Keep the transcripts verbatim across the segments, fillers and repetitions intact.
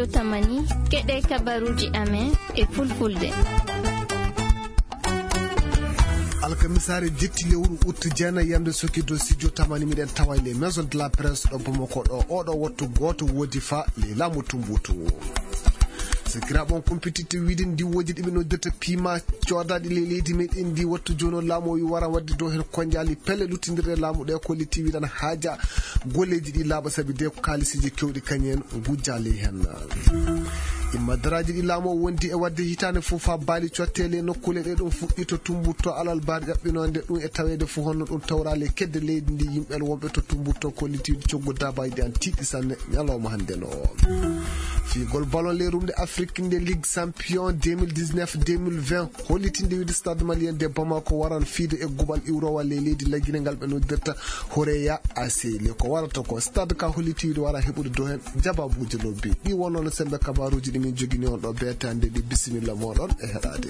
Tamani, keɗe kabaruuji amen e fulfulde. Alkamisaare jetti lewru ut jeenayi yamde soki dow studio Tamani, miɗen tawa e les maisons de la presse ɗo Bamako ɗo. Oɗo wattu gooto woodi fa les laamu tumbutu. Sakiraaɓe, on kumpititte wiide ndiwooji ɗi ɓe noddirta piima coodaaɗi ley leydi meɗen ndi, wattu jooni o laamu o wi wara waɗde dow heen konjaali pelle luttindirɗe laamu ɗe, kolliti wiɗan haaja golleeji ɗi laaɓa, sabi de ko kaalisiiji kewɗi kañum en ngujjaali heen. Imma daraaji ɗi laamu o wondi e waɗde hitaande fof, faa baali cottee ley nokkuule ɗe ɗum fuɗɗi to tumbutto alal baar ƴaɓɓinoonde ɗum e taweede fof honno ɗum tawraali e kedde leydi ndi, yimɓe wonɓe to tumbutto kolliti coggu daabaaji ɗi an tiiɗi sanne ñalawma hannde no. Fiigol ballon ley rumde Afrique nde Ligue Champion deux mille dix-neuf deux mille vingt hollitinde wiide Stade Malien de Bamako waran fiide e guɓal iwrowal ley leydi Laguinée ngal ɓe noddirta Horeya A C. Le ko warata ko stade ka holliti wiide wara heɓude dow heen jabaabuuji lobbi. Ɗi wonno no semmbe kabaaruuji ɗi min jogini on ɗo beetaande ɗi. Bisimilla mooɗon e heɗaade.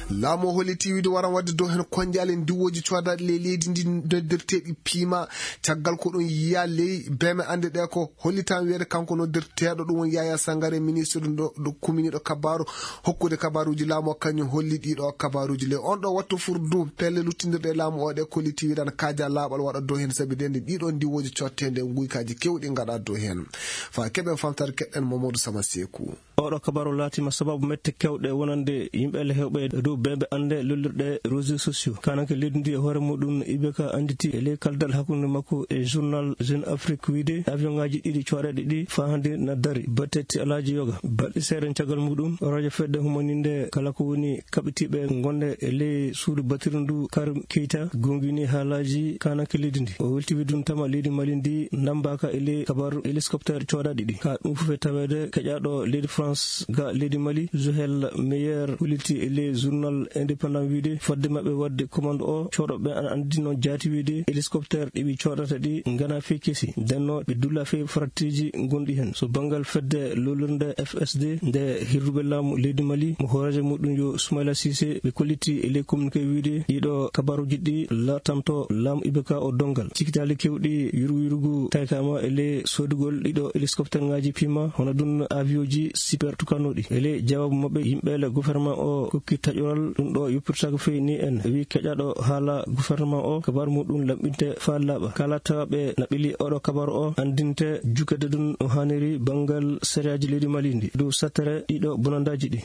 Laamu o holliti wiide waran waɗde dow heen konjaale ndiwooji coodaaɗi ley leydi ndi noddirteeɗi piima. Caggal ko ɗum yiya ley beeme annde ɗe ko hollitan wiyeede kanko noddirteeɗo ɗum woni Yaya Sangare, ministre ɗo, ɗo kuminiiɗo kabaaru, hokkude kabaaruuji laamu o, kañum holli ɗiɗo kabaaruuji ley on ɗo wattu furdu pelle luttindirɗe laamu o ɗe kolliti wiɗan kaaja laaɓal waɗa dow heen, sabi de nde ɗiɗo ndiwooji cotteende nguykaaji kewɗi ngaɗa dow heen. Faa keɓen famtaade keɗɗen Mamadou Sama Seeku. Oɗo kabaru laatima sababu mette kewɗe wonande yimɓe le hewɓe e dow beebe annde lollirɗe réseaux sociaux. Kananke leydi ndi e hoore muɗum Ibeka annditi e ley kaldal hakkunde makko e journal Jeune Afrique wiide avion ngaji ɗiɗi coɗeɗe ɗi faa hannde na dari. Batte ti alaaji yoga. Balɗe seeɗa caggal muɗum, radio fedde humaninde kala ko woni kaɓitiiɓe gonde e ley suudu batiri ndu Karim Keita gongini haalaaji kananke leydi ndi. O welti wiide ɗum tama leydi Mali ndi nambaka e ley kabaru hélicoptère coɗaɗi ɗi. Ka ɗum fof e taweede keƴaɗo leydi France ga leydi Mali, Zuhel Meyer, holliti e ley journal indépendant wiide fodde maɓɓe waɗde commande o, coɗoɓe ana anndi noon jaati wiide hélicoptère ɗi ɓe coɗata ɗi ngana fey kesi. Ndenno ɓe dulla fey faratteeji gonɗi heen. So banngal fedde lolirnde F S D nde hirruɓe laamu leydi Mali mo hooreejo muɗum yo Soumaila Cissé, ɓe kolliti e ley communiqué wiide ɗiɗo kabaruuji ɗi latanto laamu Ibeka o donngal. Cikitaali kewɗi yurgu yurgu taykama e ley soodugol ɗiɗo hélicoptère ngaji piima, hono ɗum avioji super tukanoɗi. E ley jawaabu maɓɓe, yimɓe le gouvernement o kokki taƴoral ɗum ɗo yoppirtaako fey ni en. Wi keƴaɗo haala gouvernement o, kabaru muɗum laɓɓinte faa laaɓa. Kala tawaɓe na ɓili oɗo kabaru o, anndinte jukede ɗum no haaniri banngal sariyaaji leydi Mali ndi. Dow sattere ɗiɗo bonandaaji ɗi.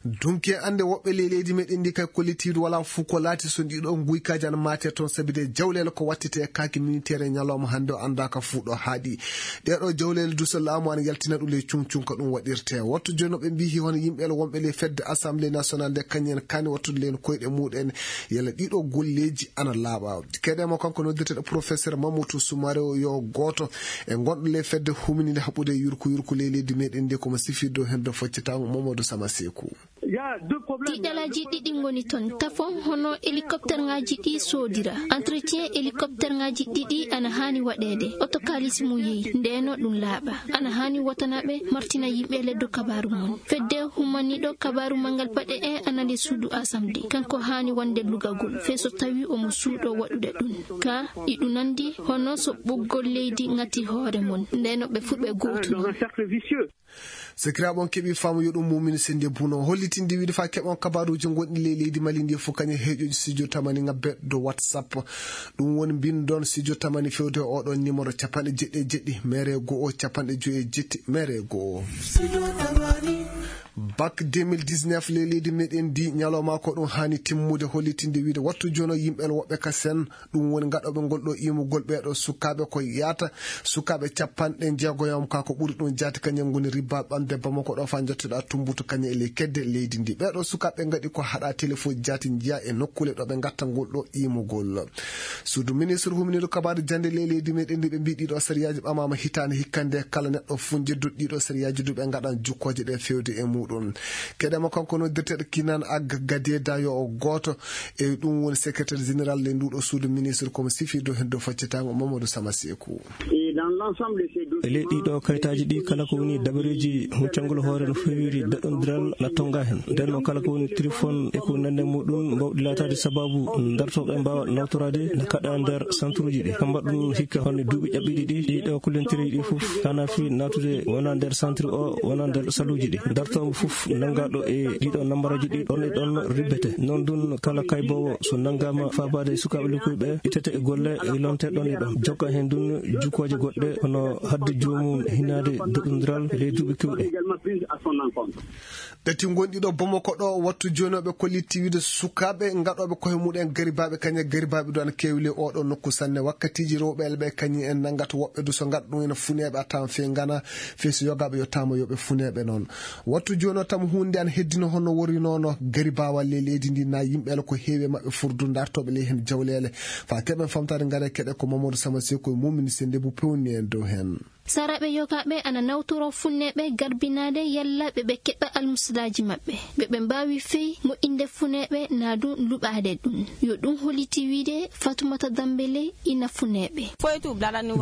Dunki e annde woɓɓe ley leydi meɗen ndi kay kollitiidu wala fuu ko laati so ɗiɗo nguykaaji ana maate toon, sabi de jawleele ko wattete e kaaki militeer e ñalawma hannde o anndaaka fuu ɗo haaɗi. Ɗeɗo jawleele du so laamu ana yaltina ɗum ley cuŋcuŋ ko ɗum waɗirte. Wattu jooni no ɓe mbiyi hono yimɓe wonɓe ley fedde Assemblée nationale nde kañum en kaani wattude leen koyɗe muɗen yala ɗiɗo golleeji ana laaɓa. Keɗe mo kanko noddirteɗo professeur Mamadou Soumaré o yo gooto e gonɗo ley fedde humininde haɓude yurku yurku ley leydi meɗen ndi ko mo sifirde o heen do foccitaango Mamadou Sama Seeku. Tiiɗalaaji ɗiɗi ngoni toon. Tafon hono hélicoptère ngaji ɗi soodira. Entretien hélicoptère ngaji ɗiɗi ana haani waɗeede. Oto kaalisi mum yehi. Ndeno ɗum laaɓa. Ana haani wotanaɓe martina yimɓe leddo kabaaru mon. Fedde humaniɗo kabaaru manngal paɗe e ana le suudu Assemblée. Kanko haani wonde lugagol. Fey so tawi omo suuɗo waɗude ɗum. Ka iɗu nandi hono so ɓoggol leydi ngati hoore mon. Ndeno ɓe fuu ɓe gootu non. Sekiraaɓe, on keɓii faamu yo ɗum muumini sennde buno. Hollitinde wiide faa keɓon kabaaruuji gonɗi ley leydi Mali ndi fof kañum heeƴooji studio Tamani ŋabbe dow WhatsApp. Ɗum woni mbinndon studio Tamani fewde e oɗon numéro capanɗe jeɗɗi e jeɗɗi, mere e go'o, capanɗe joyi e jetti, mere e go'o. Bac deux mille dix-neuf ley leydi meɗen ndi ñalawma ko ɗum haani timmude, hollitinde wiide wattu jono yimɓe woɓɓe ka sen ɗum woni gaɗooɓe ngol ɗo imugol ɓeeɗo sukaaɓe ko yaata sukaaɓe capanɗe jeegoyam ka ko ɓuri ɗum jaati kañum ngoni ribba ɓamde Bamako ɗo faa njottoɗa tumbutu kañum e ley kedde leydi ndi. Ɓeeɗo sukaaɓe ngaɗi ko haɗa telefoji jaati njiya e nokkuule ɗo ɓe ngatta ngol ɗo imugol. Suudu ministre huminiiɗo kabaaru jannde ley leydi meɗen ndi ɓe mbii ɗiɗo sariyaaji ɓamaama hitaande hikkande kala neɗɗo fuu jedduɗo ɗiɗo sariyaaji du ɓe ngaɗan jukkooje ɗe fewde e muɗum. Keɗema kanko noddirteɗo Kinan Ag Gadeda yo o gooto e ɗum woni secrétaire général ley nduɗo suudu ministre komo sifirde heen dow faccitango Mamadou Sama Seeku. E ley ɗiɗo kayitaaji ɗi, kala ko woni dabareeji huccangol hoore no fewiri daɗondiral na tonga heen. Nden noon, kala ko woni téléphone e ko nanndi e muɗum mbawɗi laataade sababu dartooɓe mbaawa nawtoraade na kaɗa nder centre uji ɗi. Ko mbaɗɗun hikka honno duuɓi ƴaɓɓiiɗi ɗi, ɗiɗo kullontireeji ɗi fof kana fi naatude wona nder centre o, wona nder saluuji ɗi. Dartoowo fof nanngaaɗo e ɗiɗo nambaraaji ɗi ɗon e ɗon ribbete. Noon ɗun, kala kayboowo so nanngaama faabaade e sukaaɓe lokkuyɓe, ittete e golle e lonte ɗon e ɗon. Jokka heen ɗun jukkooje goɗɗe, hono haɗde joomum hinnaade daɗondiral ley duuɓi keewɗi. Ɗati ngonɗi ɗo Bamako ɗo, wattu jooni o ɓe kolliti wiide sukaaɓe ngaɗooɓe koye muɗen garibaaɓe, kañe garibaaɓe ɗo ana keewi ley oɗo nokku sanne. Wakkatiiji rewɓe ɓe kañum en nanngata woɓɓe du so ngaɗa ɗum ene funeeɓe a tawan fee ngana, fee so yogaaɓe yottaama yo ɓe funeeɓe noon. Wattu jooni o tam huunde ana heddino hono wori noon o garibaawal ley leydi ndi na yimɓe ala ko heewi e maɓɓe furdu dartooɓe ley heen jawleele. Faa keɓen famtaade ngare keɗe ko Mamadou Sama Seku e Mumini Sende bu pewni en dow heen. Saraaɓe yogaaɓe ana nawtoro funneeɓe garbinaade yalla ɓe ɓe keɓa almusadaaji maɓɓe, ɓe ɓe mbaawi fey moƴƴinde funneeɓe naa du luɓaade ɗum. Yo ɗum holliti wiide Fatumata Dambele ina funneeɓe.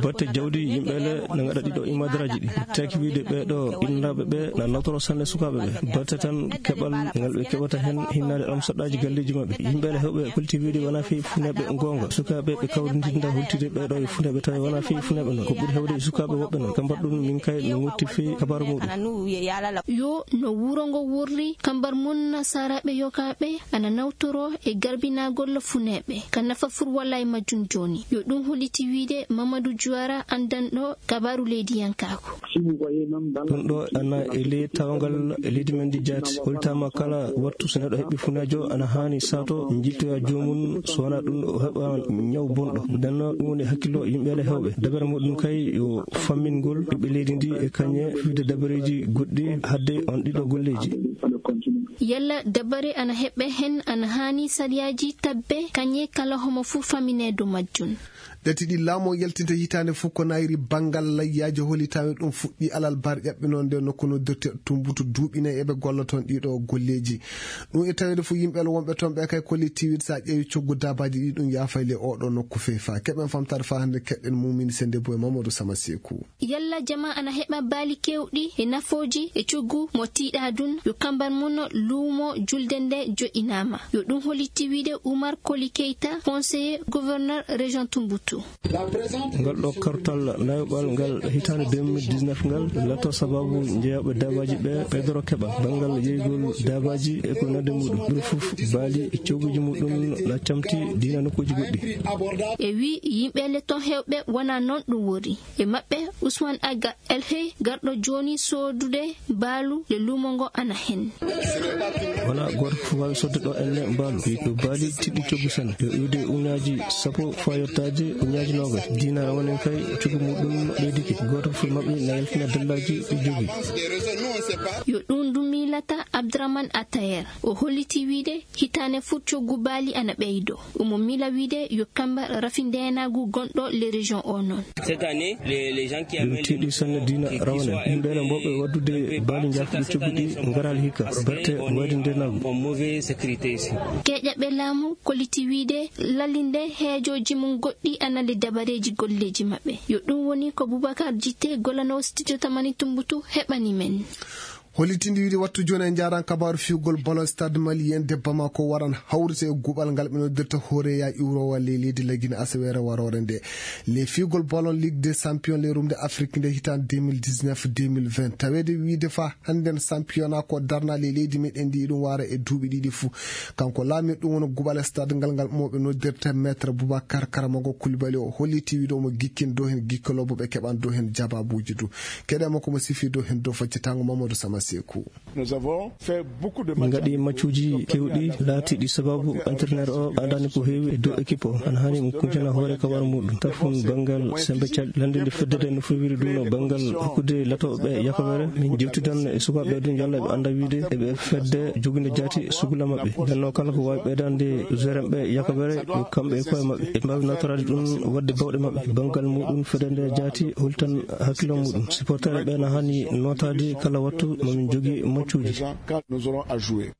Batte jawdi yimɓe le na ngaɗa ɗiɗo imadaraaji ɗi. Taki wiide ɓee ɗo innaaɓe ɓe na nawtoro sanne sukaaɓe ɓe. Batte tan keɓal ngal ɓe keɓata heen hinnaade almusadaaji galleeji maɓɓe. Yimɓe le heewɓe holliti wiide wonaa fey funneeɓe goonga. Sukaaɓe ɓe kawrindinda hultide ɓee ɗo e funneeɓe tawi wonaa fey funneeɓe noon. Ko ɓuri heewde e sukaaɓe woɓɓe noon. Kambar ɗum min kay no ngotti fey kabar muɗum. Yo no wuro ngo worri, kambar mun saraaɓe yogaaɓe ana nawtoro e garbinagol funneeɓe. Ka nafa fur walla e majjum jooni. Yo ɗum holliti wiide Mamadou Juwara anndanɗo kabaaru leydiyankaaku. Ɗum ɗo ana e ley tawngal leydi men ndi jaati. Holtaama kala wattu so neɗɗo heɓi funeejo ana haani saato njiltoya joomum, so wonaa ɗum o heɓa ñaw bonɗo. Nden noon ɗum woni hakkillo yimɓe le heewɓe. Dabere muɗum kay yo fammingol ɓiɓɓe leydi ndi e kañe fiyde dabareeji goɗɗi hadde on ɗiɗo golleeji. Yalla dabare ana heɓe heen ana haani sariyaaji tabbe kañe kala homo fuu famine dow majjum. Ɗati ɗi laamu o yaltinta hitaande fof ko nayri banngal layyaaji holitaani ɗum fuɗɗi alal bar ƴaɓɓinoonde nokku noddirte Tumbutu duuɓi nayi eɓe golla toon ɗiɗo golleeji. Ɗum e taweede fof yimɓe wonɓe toon ɓe kay kollitiiwid so a ƴeewi coggu daabaaji ɗi ɗum yaafay le oɗo nokku feefa. Keɓen famtaade faa hannde keɗɗen Mumini Sende Boye Mamadou Sama Seeku. Yalla jama ana heɓa baali keewɗi e nafooji e coggu mo tiiɗaa ɗum, yo kambar mun luumo julde nde joɗɗinaama. Yo ɗum holliti wiide Oumar Koli Keita, conseiller gouverneur région Tumbutu. Ngal ɗo kartal nayoɓal ngal hitaande deux mille dix-neuf ngal lato sababu njeyaaɓe daabaaji ɓe ɓeydoro keɓal banngal yeygol daabaaji e ko nande muɗum. Ɗum fof baali e cogguji muɗum na camti diina nokkuuji goɗɗi. E wi yimɓe le ton heewɓe wona noon ɗum wori. E maɓɓe, Ousmane Aga Elhey, garɗo jooni soodude mbaalu le luumo ngo ana heen. Wona gooto fof waawi sodde ɗo enne mbaalu. Ko baali tiɗɗi coggu sanne. Yo iwde uñaaji sappo faa yottaade uñaaji noogay. Diina rawanen kay coggu muɗum ɓeydike. Gooto fof maɓɓe na yaltina dallaaji ɗi jogii. Yo ɗum ndu miilata Abdourahmane Atayer. O holliti wiide hitaande fof coggu baali ana ɓeydo. Omo miila wiide yo kambar rafi ndeenaagu gonɗo le région o noon. Ɗum tiiɗi sanne diina rawane. Yimɓe ene mbowɓe waddude baali njaafuɗi coggu ɗi ngaraali hikka. Batte wayde ndeenaagu. Keeƴaɓe laamu kolliti wiide lallinde heejooji mum goɗɗi ana le dabareeji golleeji maɓɓe. Yo ɗum woni ko Boubacar Jité gollanoowo studio Tamani Tumbutu heɓani men. Hollitinde wiide wattu jooni en njaaran kabaaru fiyugol ballon stade malien de Bamako waran hawrite e guɓal ngal ɓe noddirta hooreya iwrowa ley leydi lagine asaweere waroore nde. Le fiyugol ballon Ligue des champions le rumde Afrique nde hitaande deux mille dix-neuf deux mille vingt. Taweede wiide faa hannden championnat ko darna ley leydi meɗen ndi ɗum wara e duuɓi ɗiɗi fuu. Kanko laami ɗum woni guɓal stade ngal ngal mo ɓe noddirta maître Boubacar Karamogo Koulibaly o holliti wiide omo gikkin dow heen gikkolooɓe ɓe keɓan dow heen jababuuji du. Keɗe makko mo sifi dow heen dow faccitango Mamadou Sama Seeku. Min ngaɗi maccuuji keewɗi laatiiɗi sababu entraîneur o andaani ko heewi e dow équipe o. Ana haani mo kuncana hoore ka wara muɗum. Tafun banngal sembe cal lanndinde fedde nde no fewiri ɗum no banngal hokkude latooɓe yakobere. Min jewtidan e sukaaɓe ɗum yalla ɓe annda wiide eɓe fedde jogude jaati sugula maɓɓe. Nden noon kala ko waawi ɓeydande joueur en ɓe yakobere yo kamɓe e koye maɓɓe. Ɓe mbaawi nawtoraade ɗum waɗde bawɗe maɓɓe. Banngal muɗum fedde nde jaati holtan hakkilo muɗum. Supporter ɓe na haani nootaade kala wattu mamin jogi maccuuji. Nous aurons à jouer.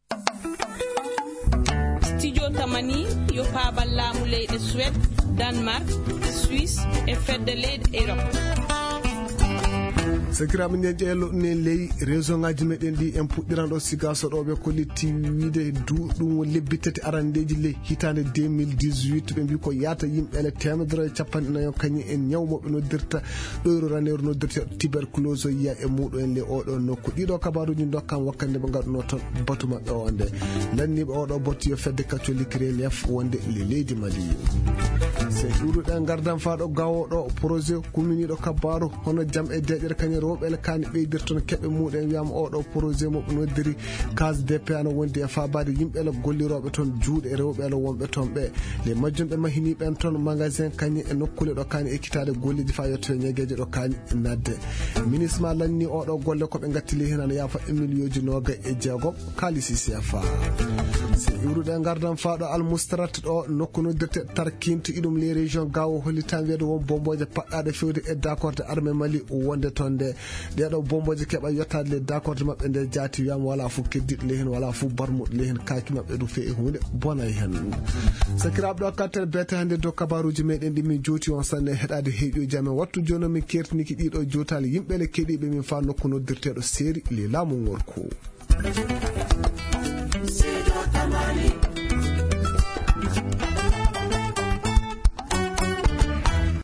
Jotamani yo paabal laamu leyɗe Suwed, Danmark, Suisse e fedde leyɗe Erop. Sakiraaɓe, nden ƴeelo ne ley région ngaji meɗen ɗi en puɗɗiran ɗo Sigaso ɗo ɓe kollitti wiide du ɗum woni lebbi tati arandeji ley hitande deux mille dix-huit, ɓe mbi ko yaata yimɓe ele temedere e capanɗe nayo kañum en ñaw moɓe noddirta ɗoyro raneeru noddirteeɗo tuberculose o yiya e muɗo en le oɗo nokku. Ɗiɗo kabaruji dokkam wakkande ɓe ngaɗuno toon batu maɓɓe o nde. Lanniiɓe oɗo batu yo fedde catholique relief wonde le leydi Mali. Se ɗuɗuɗen gardan faɗo gawoɗo projet kuminiɗo kabaru hono jam e deƴere kañum rewɓe ele kani ɓeydir toon keɓe muɗen wiyama oɗo projet mo noddiri case de paix ana wondi e fabaade yimɓe ele golliroɓe toon juuɗe rewɓe ele wonɓe toon ɓe. Le majjum ɓe mahini ɓen toon magasin kañum e nokkule ɗo kani ekkitaade golleji fa yettoyo ñagueje ɗo kani nadde. Ministre ma lanni oɗo golle ko ɓe gatti ley hen ana yaafa e million ji noga e jeegom kalisi C F A. Se iwruɗe gardan faɗo almustarat ɗo nokku noddirte tarkinto iɗum les régions gawo hollitan wiyde won bomboje paɗɗaɗe fewde e dakorde armée Mali wonde toon nde. Ɗeɗo bomboje keɓa yettaade le dakorde maɓɓe nde jaati wiyama wala fof keddiɗo ley hen wala fof barmuɗo ley hen kaki maɓɓe ɗum fe e hunde bonay hen. Sakiraɓe ɗo kattere bete hannde dow kabaruji meɗen ɗi min jowti on sanne heɗade heeƴoji amen wattu joni min kertiniki ɗiɗo jotali yimɓe le keɗiɓe min fa nokku noddirteɗo seeri le laamu ngorko.